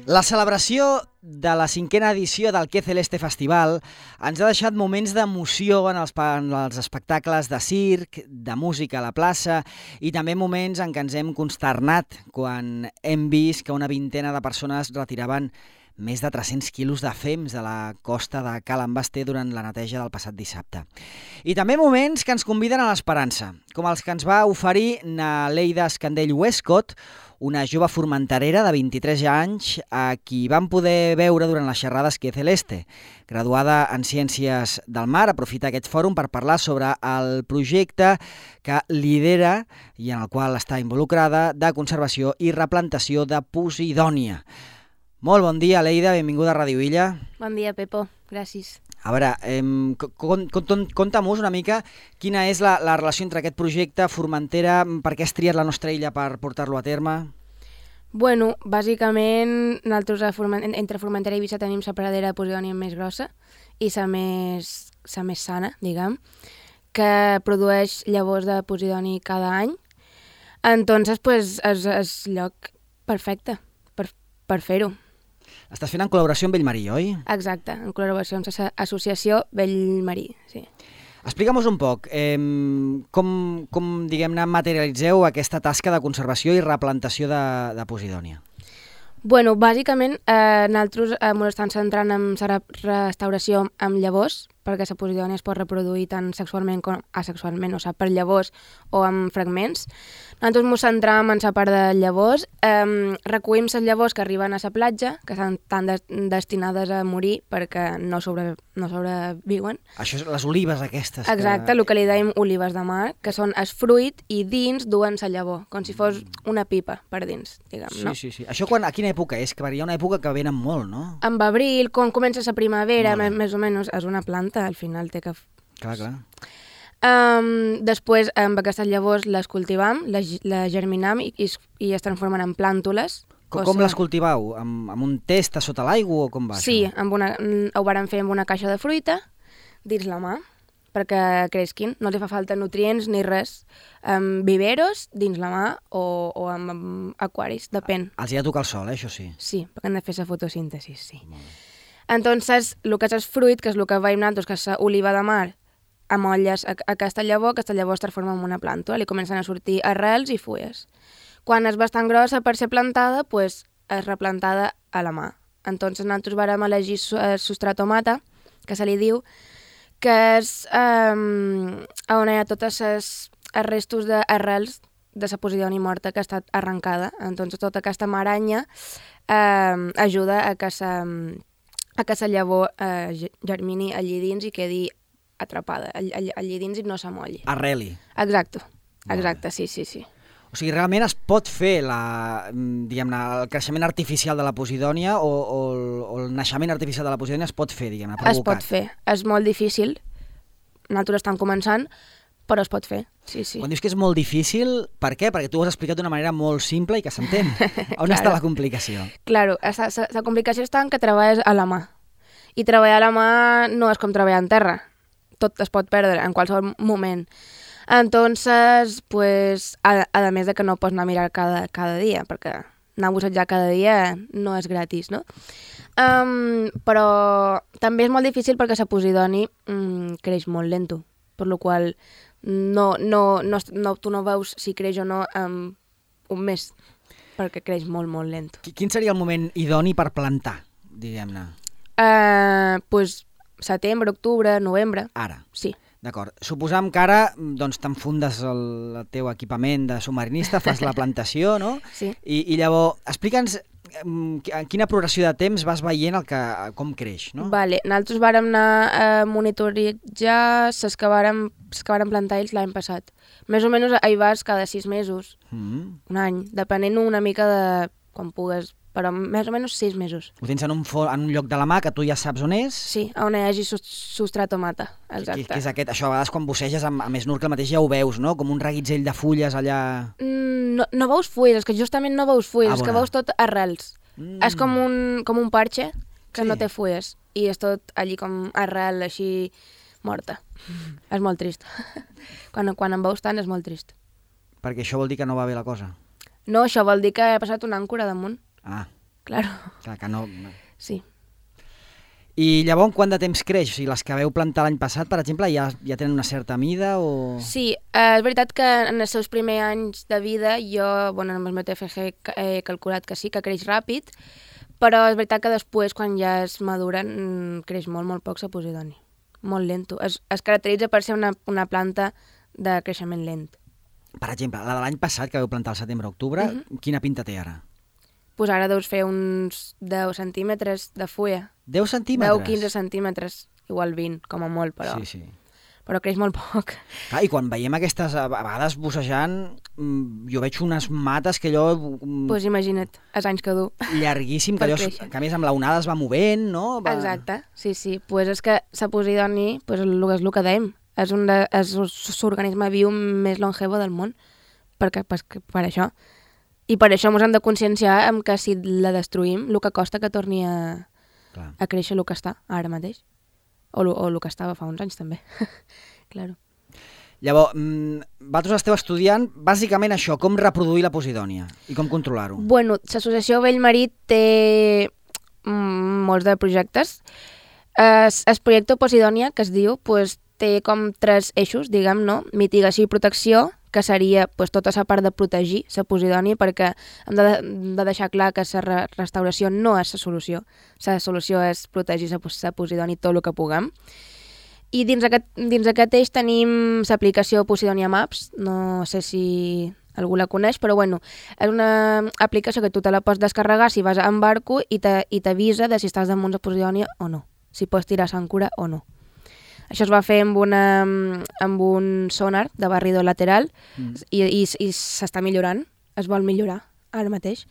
La celebració de la 5a edició del Que Celeste Festival ens ha deixat moments d'emoció en els espectacles de circ, de música a la plaça i també moments en què ens hem consternat quan hem vist que una vintena de persones retiraven més de 300 quilos de fems de la costa de Ca l'Envasté durant la neteja del passat dissabte. I també moments que ens conviden a l'esperança, com els que ens va oferir Naleida Escandell Westcott, una jove formenterera de 23 anys a qui vam poder veure durant les xerrades Que Celeste. Graduada en Ciències del Mar, aprofita aquest fòrum per parlar sobre el projecte que lidera i en el qual està involucrada de conservació i replantació de Posidònia. Molt bon dia, Leida, benvinguda a Ràdio Illa. Bon dia, Pepo, gràcies. A veure, conta'm-nos una mica quina és la relació entre aquest projecte, Formentera, per què has triat la nostra illa per portar-lo a terme? Bueno, bàsicament, nosaltres entre Formentera i Eivissa tenim la pradera de Posidònia més grossa i la més sana, diguem, que produeix llavors de Posidoni cada any. Entonces, pues, és lloc perfecte per fer-ho. Estàs fent en col·laboració amb Bellmarí, oi? Exacte, en col·laboració amb l'associació Bellmarí, sí. Explica'm-nos un poc com diguem-ne, materialitzeu aquesta tasca de conservació i replantació de Posidònia. Bueno, bàsicament, nosaltres ens estem centrant en la restauració amb llavors, perquè la Posidònia es pot reproduir tant sexualment com asexualment, o sigui, per llavors o amb fragments. Nosaltres ens centram en la part de llavors, recollim les llavors que arriben a la platja, que estan tan destinades a morir perquè no sobreviuen. Això és les olives aquestes. Exacte, el que li dèiem olives de mar, que són el fruit i dins duen la llavor, com si fos una pipa per dins, diguem, no? Sí. Això a quina època és? Que hi ha una època que venen molt, no? En abril, quan comença la primavera, més o menys, és una planta, al final té que... Clar. Després, amb aquestes llavors les cultivam, les germinam i es transformen en plàntules. Com les cultivau? Amb un test a sota l'aigua o com va? Sí, això? ho vàrem fer amb una caixa de fruita dins la mà, perquè creixin. No els fa falta nutrients ni res. Amb viveros dins la mà o amb aquaris, depèn. Els hi ha de tocar el sol, això sí? Sí, perquè han de fer la fotosíntesi, sí. Entonces, el que és el fruit, que és el que veiem nosaltres, que és l'oliva de mar, amolles aquesta llavor es transforma en una plàntula, li comencen a sortir arrels i fulles. Quan és bastant grossa per ser plantada, pues, és replantada a la mà. Entonces, nosaltres vàrem elegir el substratomata, que se li diu, que és on hi ha tots els restos d'arrels de la Posidònia morta que ha estat arrencada. Entonces, tota aquesta maranya ajuda a que la llavor germini allí dins i quedi atrapada allí dins i no s'amolli. Arreli. Exacte, sí. O sigui, realment es pot fer el creixement artificial de la Posidònia o el naixement artificial de la Posidònia es pot fer, diguem-ne, provocat. Es pot fer. És molt difícil. Nosaltres estem començant, però es pot fer, sí. Quan dius que és molt difícil, per què? Perquè tu ho has explicat d'una manera molt simple i que s'entén. On està la complicació? Claro, la complicació està en que treballes a la mà. I treballar a la mà no és com treballar en terra. Tot es pot perdre en qualsevol moment. Entonces, pues, a més de que no pots anar a mirar cada dia, perquè anar a bussejar cada dia no és gratis, no? Però també és molt difícil perquè la Posidònia creix molt lento, per la qual tu no veus si creix o no en un mes, perquè creix molt, molt lent. Quin seria el moment idoni per plantar, diguem-ne? Pues setembre, octubre, novembre. Ara? Sí. D'acord. Suposam que ara t'enfundes el teu equipament de submarinista, fas la plantació, no? Sí. I llavors, explica'ns en quina progressió de temps vas veient com creix, no? Vale. Nosaltres vàrem anar a monitoritzar les que vàrem plantar ells l'any passat. Més o menys hi vas cada 6 mesos, un any, depenent una mica de quan pugues, però més o menys 6 mesos. Ho tens en un lloc de la mà que tu ja saps on és? Sí, on hi hagi substratomata, exacte. Què és aquest? Això a vegades quan busseges amb snorkel mateix ja ho veus, no? Com un reguitzell de fulles allà... No veus fulles, és que justament no veus fulles, és que veus tot arrels. És com un parxe que no té fulles i és tot allí com arrel, així morta. És molt trist. Quan en veus tant és molt trist. Perquè això vol dir que no va bé la cosa? No, això vol dir que he passat una àncora damunt. Ah. claro. Clar, que no... Sí. I llavors, quant de temps creix? O sigui, les que veu plantar l'any passat, per exemple, ja tenen una certa mida o...? Sí, és veritat que en els seus primers anys de vida jo, bueno, amb el meu TFG he calculat que sí, que creix ràpid, però és veritat que després, quan ja es maduren, creix molt, molt poc la posidònia. Molt lento. Es caracteritza per ser una planta de creixement lent. Per exemple, la de l'any passat, que veu plantar al setembre-octubre, quina pinta té ara? Pues ara deus fer uns 10 centímetres de fulla. 10 centímetres? 10-15 centímetres, igual 20, com a molt, però... Sí. Però creix molt poc. Clar, i quan veiem aquestes, a vegades bussejant, jo veig unes mates que allò... Pues imagina't, els anys que du. Llarguíssim, que allò, que a més amb l'onada es va movent, no? Exacte, sí. Pues és que la posidònia, pues és el que dèiem, és l'organisme viu més longevo del món, per això. I per això ens hem de conscienciar que si la destruïm, el que costa que torni a créixer el que està ara mateix. O el que estava fa uns anys, també. Claro. Llavors, vosaltres esteu estudiant bàsicament això, com reproduir la posidònia i com controlar-ho. Bueno, l'associació Bellmarit té molts de projectes. El projecte Posidònia, que es diu, pues, té com 3 eixos, diguem, no? Mitigació i protecció, que seria pues, tota la part de protegir la posidònia, perquè hem de deixar clar que la restauració no és la solució. La solució és protegir la posidònia tot el que puguem. I dins aquest eix tenim l'aplicació Posidònia Maps, no sé si algú la coneix, però bueno, és una aplicació que tu te la pots descarregar si vas en barco i t'avisa de si estàs damunt la posidònia o no, si pots tirar s'àncora o no. Això es va fer amb un sonar de barrido lateral i s'està millorant, es vol millorar ara mateix.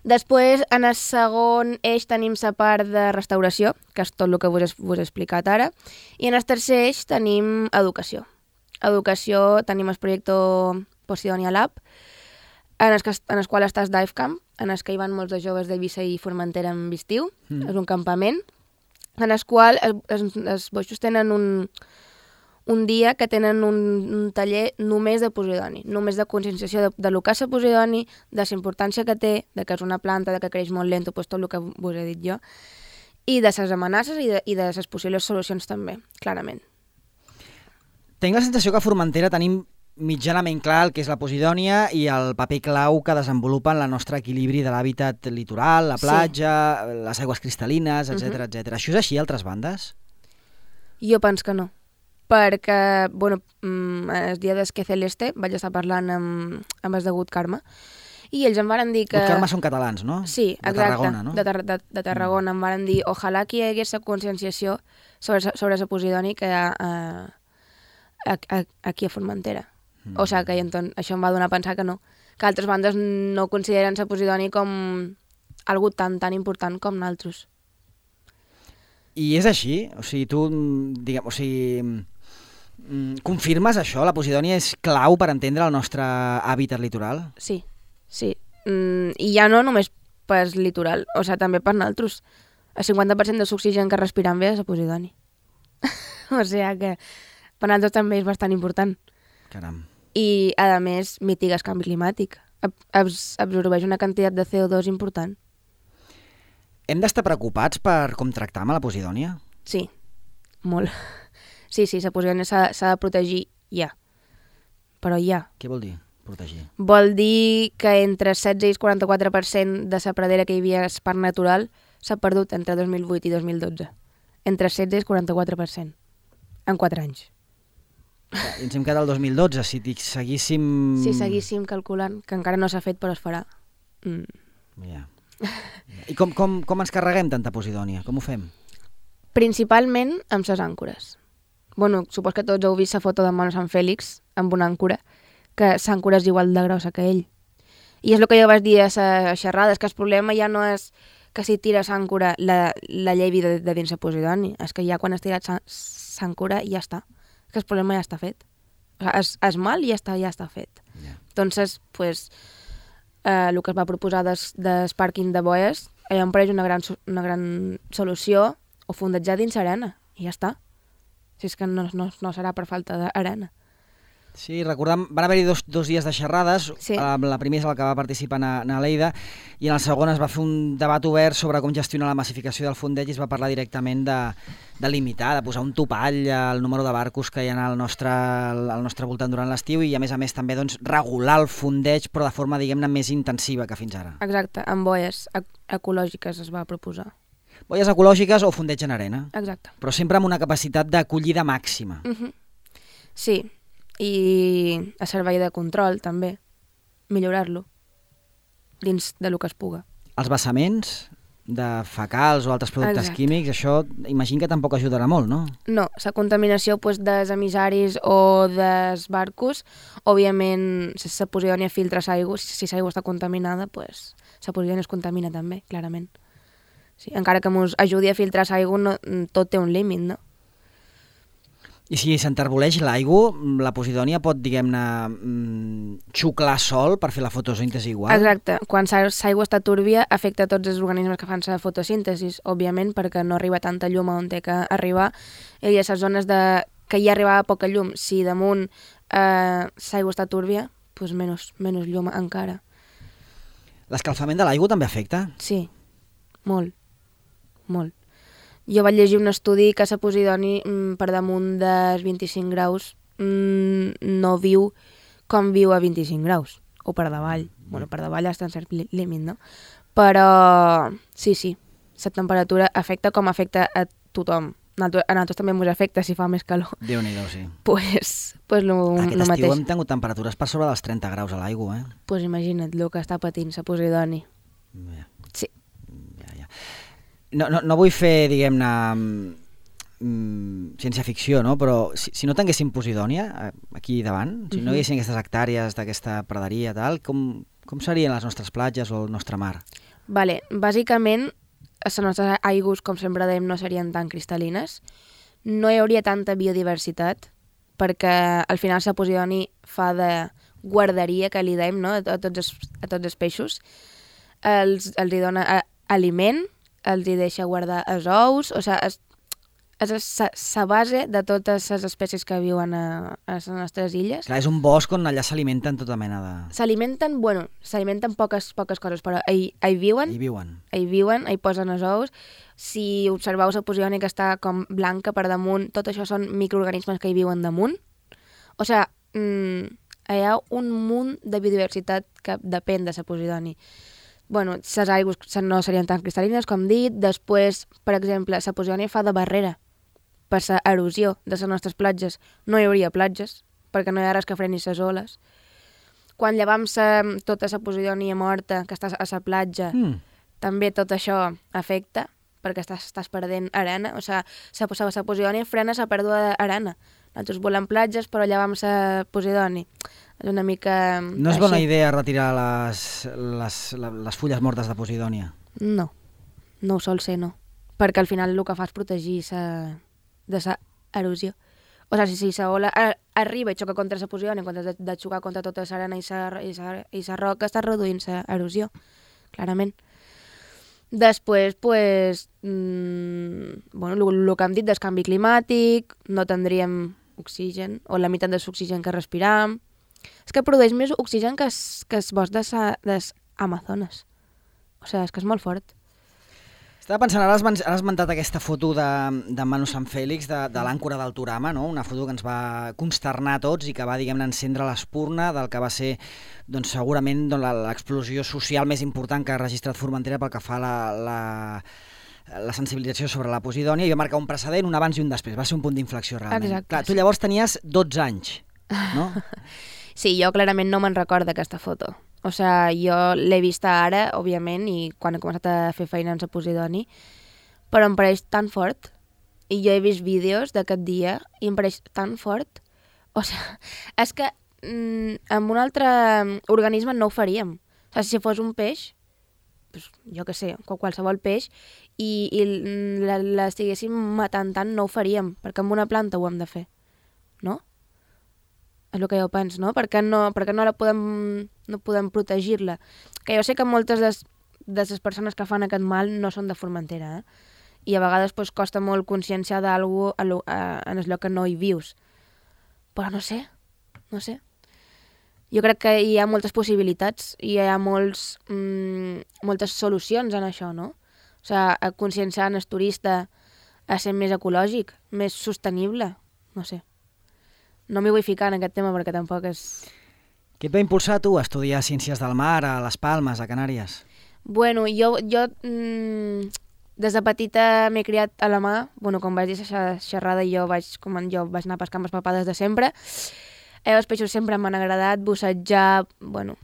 Després, en el segon eix tenim la part de restauració, que és tot el que vos he explicat ara, i en el tercer eix tenim educació. Educació tenim el projecte Posidonia Lab, en el qual està el Dive Camp, en el que hi van molts de joves d'Eivissa i Formentera en estiu, és un campament, en el qual els boixos tenen un dia que tenen un taller només de posidònia, només de conscienciació de lo que és la posidònia, de la importància que té, de que és una planta, de que creix molt lent, pues tot el que vos he dit jo, i de les amenaces i de les possibles solucions també, clarament. Tinc la sensació que a Formentera tenim mitjanament clar el que és la posidònia i el paper clau que desenvolupa en el nostre equilibri de l'hàbitat litoral, la platja, les aigües cristal·lines, etc. Això és així a altres bandes? Jo penso que no, perquè, bueno, el dia d'Esque Celeste vaig estar parlant amb el degut Carme i ells em van dir que... Els Carme són catalans, no? Sí, exacte, de Tarragona, no? De Tarragona. Em van dir, ojalà que hi hagués la conscienciació sobre la posidònia que hi ha aquí a Formentera. O sigui que això em va donar a pensar que no, que altres bandes no consideren la posidònia com algo tan important com nosaltres. I és així? O sigui, tu, confirmes això? La posidònia és clau per entendre el nostre hàbitat litoral? Sí. I ja no només per litoral, o sigui, també per nosaltres. El 50% de l'oxigen que respirem bé és la posidònia. O sigui que per nosaltres també és bastant important. Caram. I, a més, mitiga el canvi climàtic. Absorbeix una quantitat de CO2 important. Hem d'estar preocupats per com tractam a la posidònia? Sí, molt. Sí, la posidònia s'ha de protegir ja. Però ja. Què vol dir, protegir? Vol dir que entre el 16 i el 44% de la pradera que hi havia al parc natural s'ha perdut entre 2008 i 2012. Entre el 16 i el 44%. En 4 anys. I ens hem quedat al 2012, si seguíssim... Si seguíssim calculant, que encara no s'ha fet però es farà. Ja. I com ens carreguem tanta posidònia? Com ho fem? Principalment amb les àncores. Bueno, supos que tots heu vist la foto de Mono Sant Fèlix amb una àncora, que l'àncora és igual de grossa que ell. I és el que jo vaig dir a la xerrada, és que el problema ja no és que si tires àncora la llevi de dins la posidònia, és que ja quan has tirat l'àncora ja està. Que el problema ja està fet. És mal i ja està fet. Yeah. Entonces, pues, el que es va proposar del pàrquing de boies, allà em pareix una gran solució, o fondejar dins l'arena, i ja està. Si és que no serà per falta d'arena. Sí, recordem, van haver-hi dos dies de xerrades, Sí. la primera és la que va participar na Leida, i en el segon es va fer un debat obert sobre com gestionar la massificació del fondeig i es va parlar directament de limitar, de posar un topall al número de barcos que hi ha al nostre voltant durant l'estiu i a més també doncs, regular el fondeig però de forma, diguem-ne, més intensiva que fins ara. Exacte, amb boies ecològiques es va proposar. Boies ecològiques o fondeig en arena. Exacte. Però sempre amb una capacitat d'acollida màxima. Sí, i a servei de control també, millorar-lo dins de lo que es puga. Els vessaments de fecals o altres productes químics, això imagino que tampoc ajudarà molt, no? No, la contaminació dels emissaris o dels barcos, òbviament, si la Posidònia filtra l'aigua, si l'aigua està contaminada, la Posidònia es contamina també, clarament. Sí, encara que ens ajudi a filtrar l'aigua, tot té un límit, no? I si s'enterboleix l'aigua, la Posidònia pot, diguem-ne, xuclar sol per fer la fotosíntesi igual? Exacte. Quan l'aigua està túrbia, afecta tots els organismes que fan la fotosíntesi, òbviament, perquè no arriba tanta llum on té que arribar. I a les zones que hi arribava poca llum, si damunt l'aigua està túrbia, doncs menys llum encara. L'escalfament de l'aigua també afecta? Sí, molt, molt. Jo vaig llegir un estudi que la Posidònia per damunt dels 25 graus no viu com viu a 25 graus, o per davall. Bueno, per davall està en cert límit, no? Però sí, la temperatura afecta com afecta a tothom. A nosaltres també ens afecta si fa més calor. Déu-n'hi-do, sí. Pues lo Aquest estiu mateix. hem tingut temperatures per sobre dels 30 graus a l'aigua, eh? Pues imagina't el que està patint la Posidònia. Ja. Sí. Ja. No vull fer, diguem-ne, ciència-ficció, no? Però si no tinguéssim Posidònia aquí davant, si no hi haguessin aquestes hectàrees d'aquesta praderia, tal, com serien les nostres platges o el nostre mar? Vale, bàsicament, les nostres aigües, com sempre dèiem, no serien tan cristal·lines, no hi hauria tanta biodiversitat, perquè al final la Posidònia fa de guarderia, que li dèiem, no? a tots els peixos, els hi dona aliment, els hi deixa guardar els ous, o sigui, és la base de totes les espècies que viuen a les nostres illes. Clar, és un bosc on allà s'alimenten tota mena de... S'alimenten poques coses, però hi viuen. Hi viuen, hi posen els ous. Si observeu la Posidònia que està com blanca per damunt, tot això són microorganismes que hi viuen damunt. O sigui, hi ha un munt de biodiversitat que depèn de la Posidònia. Bueno, les aigües no serien tan cristal·lines, com dit. Després, per exemple, la Posidònia fa de barrera per l'erosió de les nostres platges. No hi hauria platges, perquè no hi ha res que freni les oles. Quan llevam tota la Posidònia morta que està a la platja, també tot això afecta, perquè estàs perdent arena. O sigui, la Posidònia frena la pèrdua d'arena. Nosaltres volem platges, però llevam la Posidònia. És una mica... No és bona idea retirar les fulles mortes de Posidònia? No ho sol ser, no. Perquè al final el que fa és protegir de la erosió. O sigui, si la ola arriba i xoca contra la Posidònia, en comptes de xocar contra tota l'arena i la roca, està reduint la erosió, clarament. Després, bueno, el que hem dit del canvi climàtic, no tindríem oxigen, o la meitat de l'oxigen que respiram. És que produeix més oxigen que el bosc de les Amazones. O sigui, és que és molt fort. Estava pensant, ara has esmentat aquesta foto de Manu Sant Fèlix, de l'àncora del Turama, no? Una foto que ens va consternar a tots i que va, diguem-ne, encendre l'espurna del que va ser, doncs, segurament l'explosió social més important que ha registrat Formentera pel que fa a la sensibilització sobre la Posidònia i va marcar un precedent, un abans i un després. Va ser un punt d'inflexió, realment. Exacte. Clar, tu llavors tenies 12 anys, no? Sí, jo clarament no me'n recordo d'aquesta foto. O sigui, jo l'he vista ara, òbviament, i quan he començat a fer feina en la Posidònia, però em pareix tan fort. I jo he vist vídeos d'aquest dia i em pareix tan fort. O sigui, és que amb un altre organisme no ho faríem. O sigui, si fos un peix, doncs, jo què sé, qualsevol peix, i l'estiguéssim matant tant, no ho faríem, perquè amb una planta ho hem de fer, no? És el que jo penso, no? Per què no podem protegir-la? Que jo sé que moltes de les persones que fan aquest mal no són de Formentera, i a vegades costa molt conscienciar d'algú en el lloc que no hi vius. Però no sé, no sé. Jo crec que hi ha moltes possibilitats i hi ha moltes solucions en això, no? O sigui, a conscienciar el turista a ser més ecològic, més sostenible, no sé. No m'hi vull ficar en aquest tema perquè tampoc és... Què et va impulsar tu a estudiar Ciències del Mar a Les Palmes, a Canàries? Bueno, jo des de petita m'he criat a la mà. Bueno, com vaig dir a xerrada, jo vaig anar a pescar amb els papà des de sempre. Els peixos sempre m'han agradat, bussejar, bueno,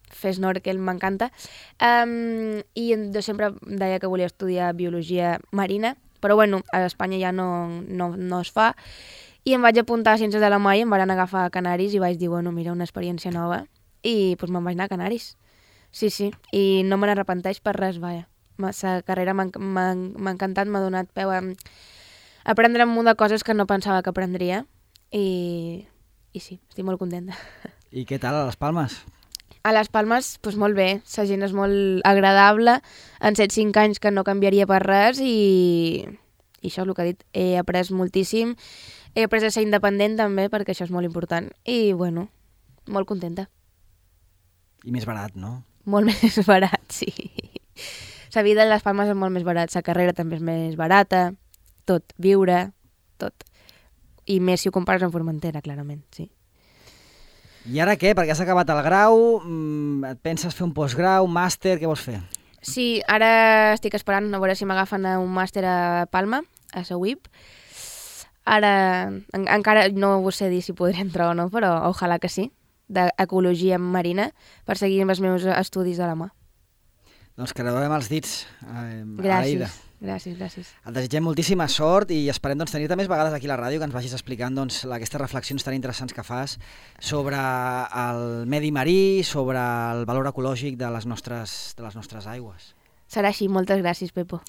fer snorkel m'encanta. I jo sempre deia que volia estudiar biologia marina, però bueno, a Espanya ja no es fa. I em vaig apuntar a Ciències de la Mar i em van agafar a Canaris i vaig dir, bueno, mira, una experiència nova. I doncs me'n vaig anar a Canaris. Sí, i no me n'arrepenteix per res, vaja. La carrera m'ha encantat, m'ha donat peu a aprendre un munt de coses que no pensava que aprendria. I sí, estic molt contenta. I què tal a Les Palmes? A Les Palmes, doncs molt bé. La gent és molt agradable. En 7-5 anys que no canviaria per res i això és el que he dit. He après moltíssim. He après a ser independent també, perquè això és molt important. I, bueno, molt contenta. I més barat, no? Molt més barat, sí. La vida a Les Palmes és molt més barat. La carrera també és més barata. Tot. Viure, tot. I més si ho compares amb Formentera, clarament, sí. I ara què? Perquè has acabat el grau, et penses fer un postgrau, un màster, què vols fer? Sí, ara estic esperant a veure si m'agafen a un màster a Palma, a la UIP. Ara encara no ho sé dir si podré entrar o no, però ojalà que sí, d'ecologia marina, per seguir amb els meus estudis de la mà. Doncs que rebem els dits, Aleida. Gràcies. Et desitgem moltíssima sort i esperem tenir-te més vegades aquí a la ràdio, que ens vagis explicant aquestes reflexions tan interessants que fas sobre el medi marí, sobre el valor ecològic de les nostres aigües. Serà així, moltes gràcies, Pepo.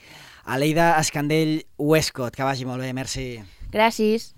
Aleida Escandell Westcott, que vagi molt bé, merci. Gràcies.